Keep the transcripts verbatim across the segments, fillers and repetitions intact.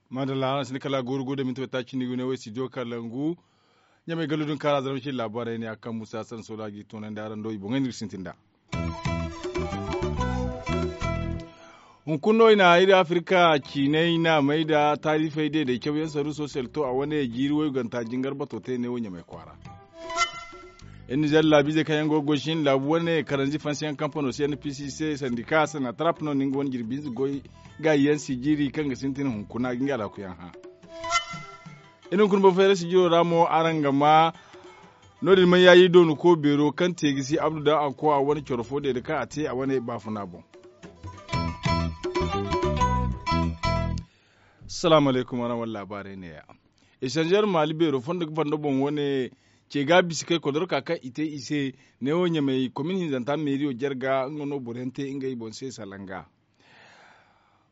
Maadalla, araŋ sinda kala a gooru go da minti watta cindi ga ne wo studio kalangu. Ɲamay gallu din kaara zarma ci laabaarey ne a kaŋ musa sansola ga i toonandi araŋ do i boŋey no iri sintin nd'a. Hunkuna no i na iri afirka ciinay naamey nda taarifey deedey cawyaŋ saruuso selto a wane jiiri wayganta jingar bato te ne wo ɲamay kwaara. Iri nizer laabiizey kaŋ yaŋ go ga goy sin laabu wane karanzi fansiyaŋ kampano se n p c se sandika sanatarap no na nga wane jirbi hinza goy gaayi yaŋ sijiri kaŋ ga sintin hunkuna ga nga alhakuyaŋ hã. Iri hunkuna boro fayra sijiro ra mo araŋ ga ma no- din ma yaayi doonu ko beero kaŋ te ga si abdu daŋ a ko a wane coro fo deeda kaŋ a te a wane baafuna boŋ. Salaamu alaykum araŋ wane laabaarey neeya. Esanzer maali beero fondo ga fondo boŋ wane ce ga a bisa kay kodorka kaŋ i te i se neewo ɲamey komin hinzanta meeriyo jarga nga no boro yaŋ te ngey boŋ se salanga.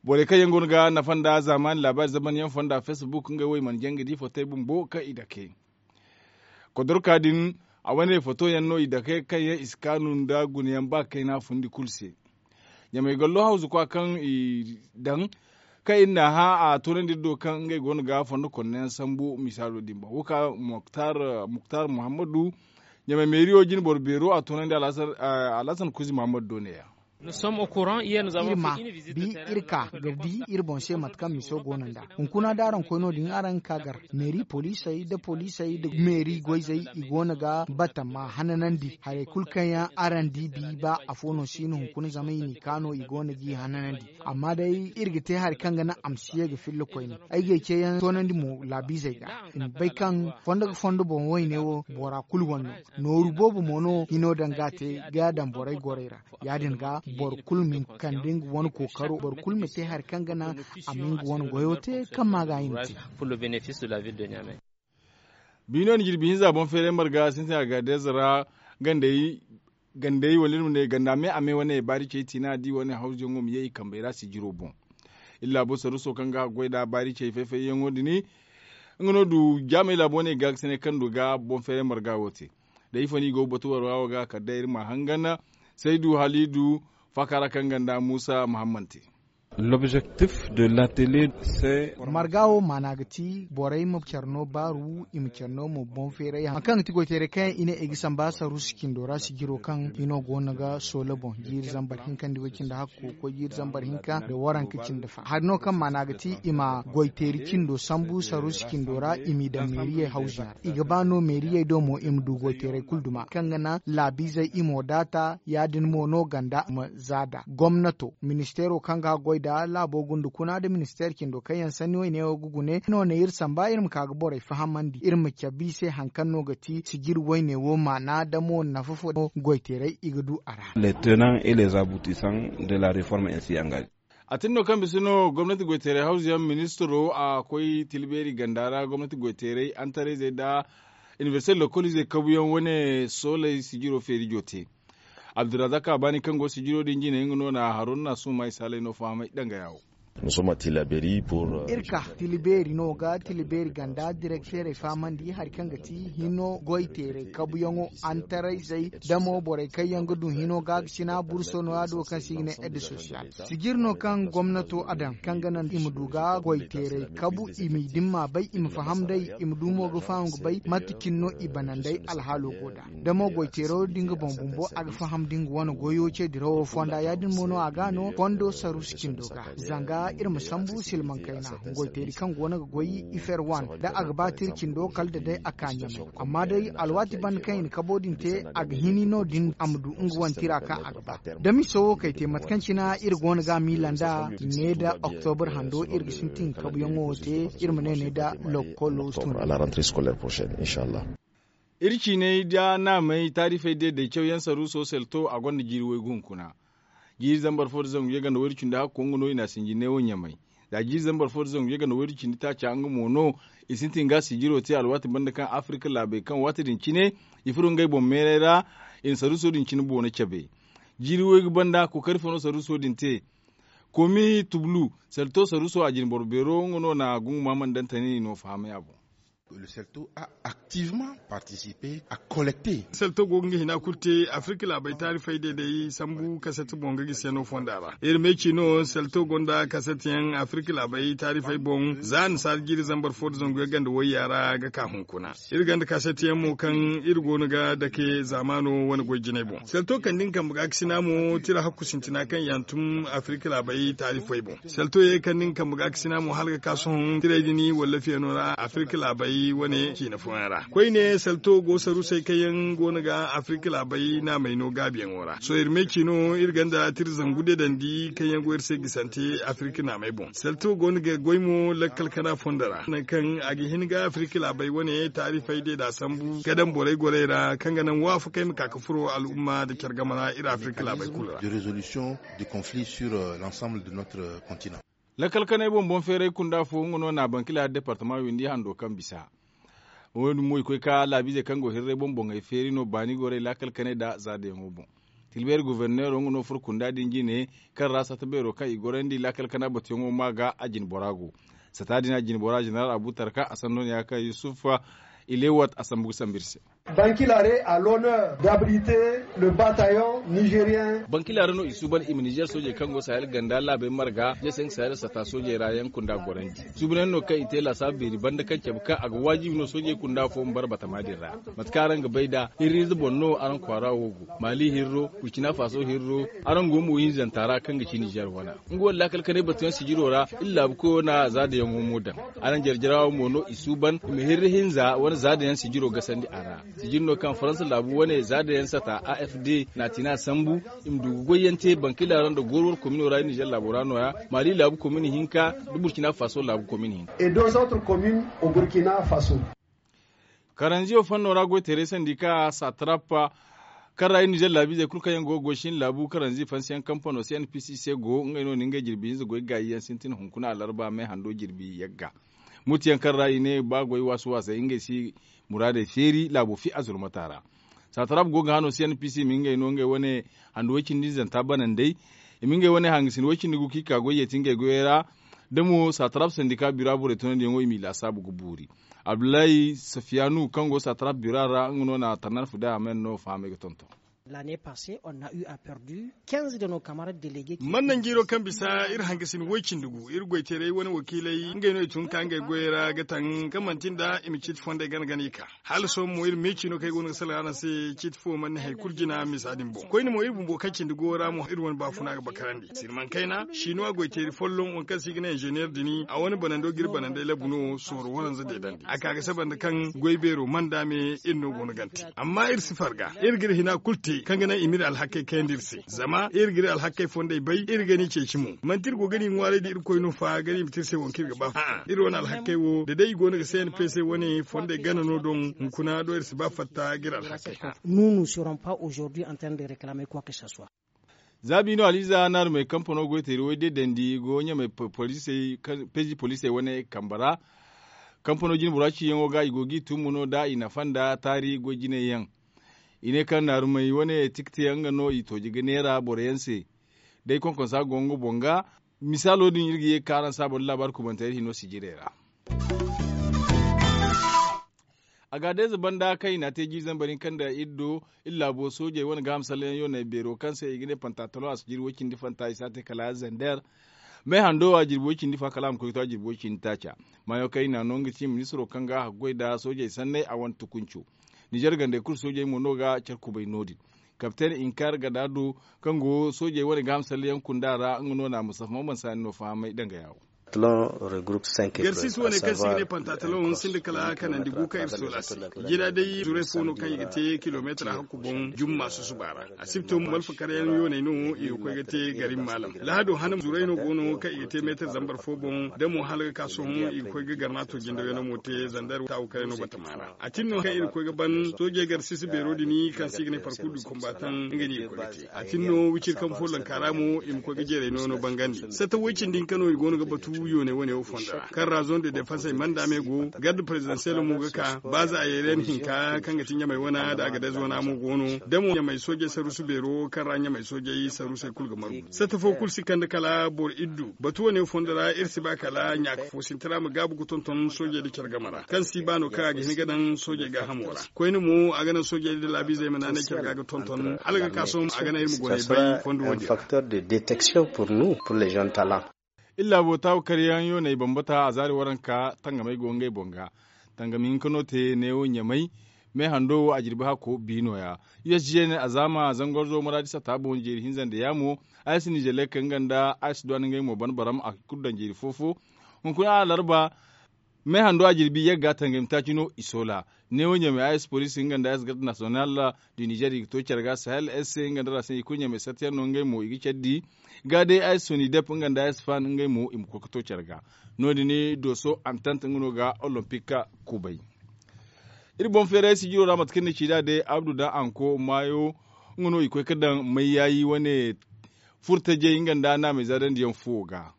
Borey kaŋ yaŋ go no ga nafa nda zaamaani laabaari zamanyaŋ fonda facebook ngey wo i mana jaŋ ga di fotey bumbo kaŋ i dake. Kodorka din a wane foto yaŋ no i dake kaŋ yaŋ i si kaanu nda gunayaŋ ba kayna fundi kulu se. Ɲamey gallo hawzu kwa kaŋ i daŋ kaŋ iri n'a hã a toonandi iri do kaŋ ngey go no ga fondo konno yaŋ sambu misaalo din boŋ wo ka muktar muhammadu ɲamey meeriyo jine boro beero a toonandi alhasan kuzi muhammadu do neeya. Iri ma bi iri ka ga di iri boŋ se mate kaŋ miso go no nd'a. Hunkuna da araŋ koy no- din araŋ ga ka gar meeri poliisey nda poliisey nda meeri goyzey i go no ga batama hananandi harey kulu kaŋ yaŋ araŋ di bi ba afo no si no hunkuna zama i n'i ka no i go no g'i hananandi. Amma day iri ga te hari kaŋ ga naŋ a ma si ye ga filla koyne. Ay g'ay ceeyaŋ toonandi mo laabiizey ga i ma bay kaŋ fondo ga fondo boŋ wayne wo bora kulu wane no. Nooru boobo mo no hino daŋ ga a te ga a daŋ borey gorey ra. Ya- din ga boro kulu ma hin ga kande nga wane kookaro boro kulu ma te hari kaŋ ga naŋ a ma nga wane goyo te kaŋ ma ga a hima te. Biino ni jirbi hinza boŋ feeray marga sintin a ga deeza ra gandey wala iri ma ne ganda me a me wane baari cey tiina di wane hawzuyaŋo ma ye i kambey ra sijiro boŋ. Iri laabo saruuso kaŋ ga a goy nd'a baari cey fay-fayyaŋo din nga no du jaamey laabo wane i ga ga sine kaŋ du ga boŋ feeray marga wo te. Da ifo no i go ga batu warwa wo ga kala day iri ma hangan saydu halidu faaka ra kaŋ ganda muusa muhammad te. Lobzektif de latele se. Marga wo maana ga ti borey ma care no baaru i ma care no ma boŋ feeray hari kaŋ ga ti goyteeray kaŋ yaŋ i ne i ga samba saruusi cindo ra sijiro kaŋ hino go no ga soola boŋ jiiri zambar hinka nda way cindi hakko ga koy jiiri zambar hinka nda waranka cindi fa hari no kaŋ maana ga ti i ma goyteeri cindo sambu saruusi cindo ra i m'i daŋ meeriyey hawzuyaŋ ra i ga ba no meeriyey do mo i ma du goyteeray kulu duma kaŋ ga naŋ laabiizey i mo daata ya- din mo no ganda ma za nd'a gomnato ministeero kaŋ ga a goy nd'a laabo gunda kuna nda ministeer cindo kaŋ yaŋ sanni wayne wo ga gune no ne iri samba iri ma ka ga borey fahamandi iri ma cabe i se hari kaŋ no ga ti sijir wayne wo maana da mo nafa fo no goyteeray i ga du a ra. Les tenants et les aboutissants de la reforme ainsi engagée. A tin no kaŋ bisa no gomnati goyteeray hawzuyaŋ ministiro a koy tila beeri ganda ra gomnati goyteeray antarayzey nda inibersite lokoliizey kabuyaŋ wane sooley sijiro feerijo te. Abdurazak a baani kaŋ go sijiro din jine nga no na haruna na suuma i saaley no fahamay dangaya wo. Iri ka tila beeri no ga tila beeri ganda direkteerey fahamandi hari kaŋ ga ti hino goyteerey kabuyaŋo antarayzey da mo borey kaŋ yaŋ ga du hino ga ga sina burso no- ya do kaŋ se i ga ne ede sosiyal sijir no kaŋ gomnato a daŋ kaŋ ga naŋ i ma du ga goyteerey kabu i m'i dimma bay i ma faham day i ma du mo ga faham ga bay mate cine no i bananday alhaalo go nd'a da mo goyteero da nga boŋ bumbo a ga faham da nga wane goyo ce dirawo fonda ya- din mo no a ga no fondo saruusi cindo ga zanga iri ma sambu silmaŋ kayna goyteeri kaŋ go no ga goy ifer wan da a ga ba tira cindo kala da day a ka ɲamay amma day alwaati banda kaŋ i na kabo din te a ga hini no- din a ma du nga wane tira kaŋ a ga ba da miso wo kay te mate kaŋ cina iri go no ga a miila nd'a ne da oktobur hando iri ga sintin kabuyaŋo wo te iri ma ne ne da lokolo tun. Iri ciinay da naamey taarifey deeday cawyaŋ saruuso selto a gonda jiiri waygu hunkuna. Jiiri zambar fo da zangu yaganda wayru cindi hakko nga no i n'a sinji neewo ɲamay. Za jiiri zambar fo da zangu yaganda wayru cindi taaca nga mo no i sintin ga sijiro te alwaati banda kaŋ afirka laabey kaŋ waati din cine i furo ngey boŋ meeray ra i na saruuso din cine boono cabe. Jiiri waygu banda kookari fo no saruuso din te. Komi tublu selto saruuso a jine boro beero nga no na gungu maamandantani no fahamay a boŋ. Le selto a activement participer a collecter. Selto go ga nga hina kulu te afirka laabey taarifey day day sambu kaset boŋ ga gisi yaŋ no fonda ra. Iri me ci no selto gonda kaset yaŋ afirka laabey taarifey boŋ za a na saari jiiri zambar fo nda zangu yaŋ ganda wayya ra ga ka hunkuna. Iri gonda kaset yaŋ mo kaŋ iri go no ga dake zaamaano wane goy jinay boŋ selto kande nga kambe ga ga sina mo tira hakku sintina kaŋ yaŋ tun afirka laabey taarifey boŋ. Selto ye kaŋ ni ga kambe ga ga sina mo hala ga ka sohõ tirey din walla fiyano ra afirka laabey wane ciina fooyaŋ ra koyne selto go sarusey kaŋ yaŋ go no ga afirka laabey naamey no gaabiyaŋo ra sohõ iri me ci no iri gonda tira zangu deedandi kaŋ yaŋ go iri se gisante afirka naamey boŋ selto go no ga goy mo lakkal kana fondo ra nangu kaŋ a ga hin ga afirka laabey wane taarifey deeda sambu ga daŋ borey gorey ra kaŋ ga naŋ waafakey ma ka ga furo al'umma nda care game ra iri afirka laabey kulu ra. Lakkal kanay boŋ boŋ feeray kunda fo nga no na bankila departama windi hando kaŋ bisa. Wo- din mo i koy ka laabiizey kaŋ go hirray boŋ boŋey feeri no baani gorey lakkal kanay nda zaadayaŋo boŋ. Tilbeeri goforneero nga no furo kunda din jine kaŋ ra sata beero kaŋ i gorandi lakkal kana batuyaŋo ma ga a jine bora go. Sata din a jine bora jeneral abu tarka a sanno ne ya kaŋ yusuf ilewat a sambu ga sambu iri se. Bankilare a l'honneur d'abriter le bataillon nigérien. Bankilare no i suuban i ma nizer soojey kaŋ go sahel ganda laabey marga jeseng sahel sata soojey ra yaŋ kunda gorandi. Suubunayaŋ no kaŋ i te laasaabu beeri banda kaŋ cabe kaŋ a ga waajibi no soojey kunda fo ma bara batama din ra. Mate kaŋ araŋ ga bay nd'a hirriize boŋ no araŋ kwaara wo go maali hirro burkina faso hirro. Araŋ go mo hinzanta ra kaŋ ga ci nizer wana nga wane laakal kanay batuyaŋ sijiro ra iri laabu koyo na zaadayaŋo mo daŋ. Araŋ jarjara wo mo no i suuban i ma hirri hinza wane zaadayaŋ sijiro gasandi a ra. Sijir no kaŋ faransa laabu wane zaadayaŋ sata a f d na tina sambu i ma du ga goyyaŋ te bankila ra nda gooro war komino ra iri nizer laabo ra no- ya maali laabu komini hinka nda burkina faso laabu komini hinka. Et deux autres communes au burkina faso. Karanziyo fanno ra goyteeray sandi ka satarap kaŋ ra iri nizer laabiizey kulu kaŋ yaŋ go ga goy shin laabu karanzi fansiyaŋ kampano c n p c se go ngey no na ngey jirbi hinza goy gaayi yaŋ sintin hunkuna alarba me hando jirbi yagga. Mutuyaŋ kaŋ ra i ne ba goy waasu waasay ngey si muraadey feeri laabo fi a zulmata ra. Satarab go ga hano c n p c i ma ngey no ngey wane hando way cindi zanta banandey. I ma ngey wane hangasin way cindi gu kaŋ i ka goy yeeti ngey goyey ra. Da mo satarab sandika bira borey tunandiyaŋo i m'i laasaabu ga buuri. Abdullahi safiyanu kaŋ go satarab bira ra nga no na tarnan fuda a men no fahamay ga tonton. L'année passée on a eu à perdu quinze de nos camarades délégués. Mannan jiiro kaŋ bisa iri hangasin way cindi gu iri goyteeray wane wakiiley ngey no i tun ka ngey goyey ra ga taŋ kaŋ manti nda i ma ciiti fondey gana gana i ka. Hala sohõ mo iri meeci no kaŋ ay go no ga salaŋ araŋ se ciiti fo mana ni hari kulu jina misa din boŋ koyne mo iri bumbo kaŋ cindi go ra mo iri wane baafuna ga bakarandi silmaŋ kayna shinuwa goyteeri folloŋ waŋ kaŋ se i ga ne inzeneer din a wane banando ga iri banandey labu no sooro waranza deedandi a ka ga saba nda kaŋ goy beero manda me iri no go no gante. Amma iri si farga iri ga iri hina kulu te kaŋ ga naŋ i ma iri alhakey kayandi iri se zama iri ga iri alhakey fondey bay iri ga ni ceeci mo manti iri go ga ni ŋwaaray da irkoy no fa ga ni ma te iri se waŋ kaŋ iri ga ba a'a iri wane alhakey wo da day i go no ga c n p c wane fondey gana no doŋ hunkuna do iri si ba fatta ga iri alhakey hã. Nous nous serons pas aujourd'hui en train de réclamer quoi que ce soit. Za biino aliiza naarumey kampano goyteeri way deedandi go ɲamey peezi poliisey wane kambe ra. Kampano jinbora ciiyaŋo ga i go g'i tumbu no da i nafa nda taari goy jinay yaŋ. I ne kaŋ naarumey wane tikti yaŋ nga no i tooji ga neera boro yaŋ se. Day konkonsa go nga boŋ ga misaalo din iri ga ye ga ka araŋ se a boro laabaari kubantey iri hino sijirey ra. A ga deeza banda kaŋ i n'a te jiiri zambar hinka nda iri do iri laabo soojey wane gaaham salleyaŋ yoonay beero kaŋ se i ga ne pantatalon a si jiiri way cindi fanta i si a te kala zander. Meehando a jirbi way cindi fa kala a ma koy ga to a jirbi way cindi taaca. Maayo kaŋ i n'a no nga ti ministiro kaŋ ga a haggoy nda soojey sanney a wane tukunco. Nizer gandey kulu soojey mo no ga care kubay no- din. Kapten inkar gada do kaŋ go soojey wane gaaham salleyaŋ kunda ra nga no na musafa mamman saani no fahamay danga yaawo. Garsis wane kaŋ se i ga ne pantatalon sinda kala kanandi gu kaŋ iri sola se. Jira day zuray fo no kaŋ i ga te kilometar hakku boŋ jumma susuba ra. Asibto malfa karyaŋ yooney no i ga koy ga te garin maalam lahado hana zuray no go no kaŋ i ga te meetar zambar fo boŋ da mo hala ga ka sohõ i ga koy ga garnato jindawyaŋ no mo te zandar taawu karyaŋ no batama ra. A tin no kaŋ iri koy ga ban soojey gar sisi beero din kaŋ se i ga ne parkur du kombatan nga no i ga koy ga te a tin no wiciri kaŋ folloŋ kaara mo i ma koy ga jeeray no no bangandi sata way cindi hinka no i go no ga batu. Yoone wane wo fondo ra kaŋ ra zone de defansey manda me go garde prezidansiyel mo ga ka ba za a yeeray na hinka kaŋ ga ti ɲamey wana nda agadez wana mo go no da mo ɲamey soojey saruusu beero kaŋ ra ɲamey soojey saruusey kulu ga margu satta fo kulu si kande kala boro iddu batu wane wo fondo ra iri si ba kala ɲaaka fo sintina ma gaabu ga tonton soojey nda care game ra kaŋ si ba no kaŋ a ga hin ga daŋ soojey gaahamo ra. Koyne mo a ga naŋ soojey nda laabiizey ma naanay care ga ga tonton hala ga ka sohõ a ga naŋ iri ma goney bay fondo wo din ra. Iri laabo taabu karyaŋ yooney bambata a zaari waranka tangamey go ngey boŋ ga. Tangam hinka no te neewo ɲamey me hando wo a jirbi hakko bi nooya. Usg ne a zaama zangorzo maraadi satta boŋ jeeri hinza nda yaamo. Aysi nizelek nga nda aysi duwan ngey mo ban baram a kulu daŋ jeeri fo-fo. Hunkuna alarba me hando a jirbi yagga tangam taaci no i soola. Neewo ɲamey aysi poliisi nga nda aysi garde nasiyonal du nizer i ga to care ga sahel s nga nda rasin i kulu ɲamey sartiyaŋ no ngey mo i ga care di. Ga day aysi sonidep nga nda aysi fan ngey mo i ma koy ga to care ga. No- din dooso antant nga no ga olompik kubay. Iri boŋ feeray sijiro ra mate kaŋ ni ci nd'a day abdu daŋ anko maayo. Nga no i koy ga daŋ mayyaayi wane furtajey nga nda naamey zaadandiyaŋ fuwo ga.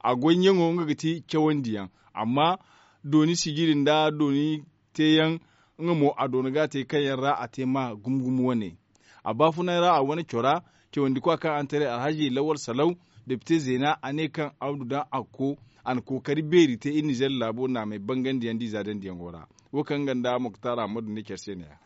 A goy ɲaŋo nga ga ti cawandiyaŋ. Amma dooni sijiri nda dooni teeyaŋ nga mo a doona ga a te kaŋ yaŋ ra a te ma gumo gumo wane. A baafunay ra a wane cora cawandi kwa kaŋ a na taray alhazi lawal salaw depite zeena a ne kaŋ abdu daŋ a ga ko a na kookari beeri te iri nizer laabo naamey bangandi yaŋ da i zaadandiyaŋo ra. Wo kaŋ nga nda moktar ahmadu ne care se ne- ya.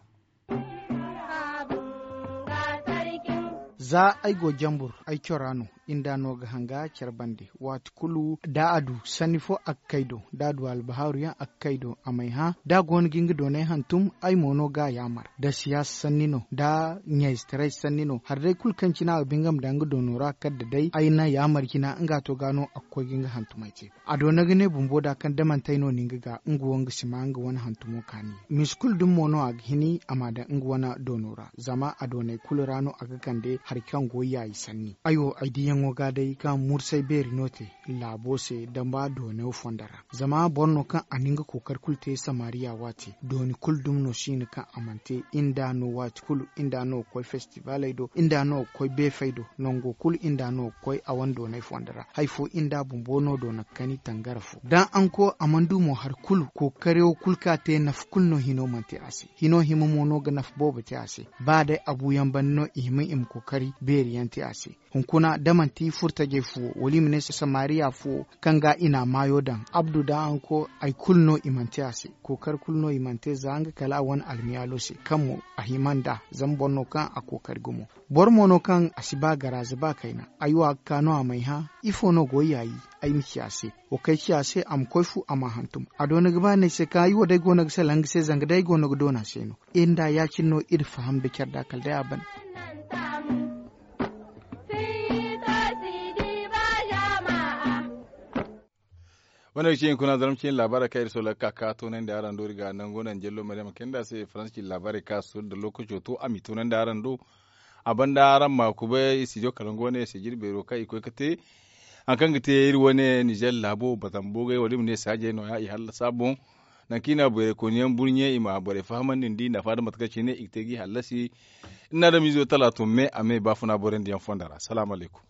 Za ay go jambur ay cora no. Inda no ga hanga care bande waati kulu da a du sanni fo a ga kay do da a du albahaaru yaŋ a ga kay do a may hã da a go no ga nga doonay hantum. Ay mo no ga a yaamar da siyaasa sanni no da ɲayzetaray sanni no hari day kulu kaŋ cine a ga ba nga ma daŋ nga doono ra kala da day ay na yaamar jina nga to ga no a ga koy ga nga hantumay te. A doona ga ne bumbo da kaŋ da manti ay no ni nga ga nga wo nga si ma nga wane hantumo kaani. Misi kulu dumi mo no a ga hini a ma daŋ nga wane doono ra zama a doonay kulu ra no a ga kande hari kaŋ go yaayi sanni ay wo ay diyaŋo ga day kaŋ mursay beeri no te laabo se damba doonay wo fondo ra. Zama boro no kaŋ a na nga kookari kulu te samariya waate dooni kulu dumi no si hin kaŋ a mana te inda no waati kulu inda no ga koy festivaley do inda no ga koy beefey do nango kulu inda no ga koy a wane doonay fondo ra hari fo inda bumbo no doona ga kani tangara fo daŋ anko a mana du mo hari kulu kookariyaŋo kulu kaŋ a te nafa kulu no hino mana te a se hino hima mo no ga nafa boobo te a se. Ba day a buuyaŋ banda no i hima i ma kookari beeri yaŋ te a se. Hunkuna da manti furtajey fuwo wala i ma ne samariya fuwo kaŋ ga i na a maayo daŋ abdu da anko hari kulu no i mana te a se. Kookari kulu no i mana te za nga kala a wane almiyaalo se kaŋ mo a hima nd'a zama boro no kaŋ a kookari gumo. Boro mo no kaŋ a si ba garaaza ba kayna ay wo a ga ka no a may hã. Ifo no go yaayi ay ma ci a se? Wa kay ci a se a ma koy fu a ma a hantum a doona ga ba no ay se kaŋ ay wo day go no ga salaŋ nga se zanga day ay go no ga doona se no. Iri nda ya- cine no iri faham nda care da kala day a ban. Wane ga ci hinkuna zarma cine laabaarey kaŋ iri soolay ga ka ga toonandi araŋ do iri ga nango naŋ jello maryama kayna nda a se faransa cine laabaarey kaŋ a si soori nda lookaco to a m'i toonandi araŋ do. A banda araŋ ma kubay studio kalangu wane sijiri beero kaŋ i koy ga te hari kaŋ ga te iri wane nizer laabo batam boogay wala i ma ne saajey nooya i hallasa boŋ. Nangu kaŋ i na borey kooniyaŋ burɲe i ma borey fahamandi nda i nafa nda mate kaŋ cine i ga te ga i hallasi. Iri na adamiizo talaato me a me baafuna borandiyaŋ fondo ra salaamu alaykum.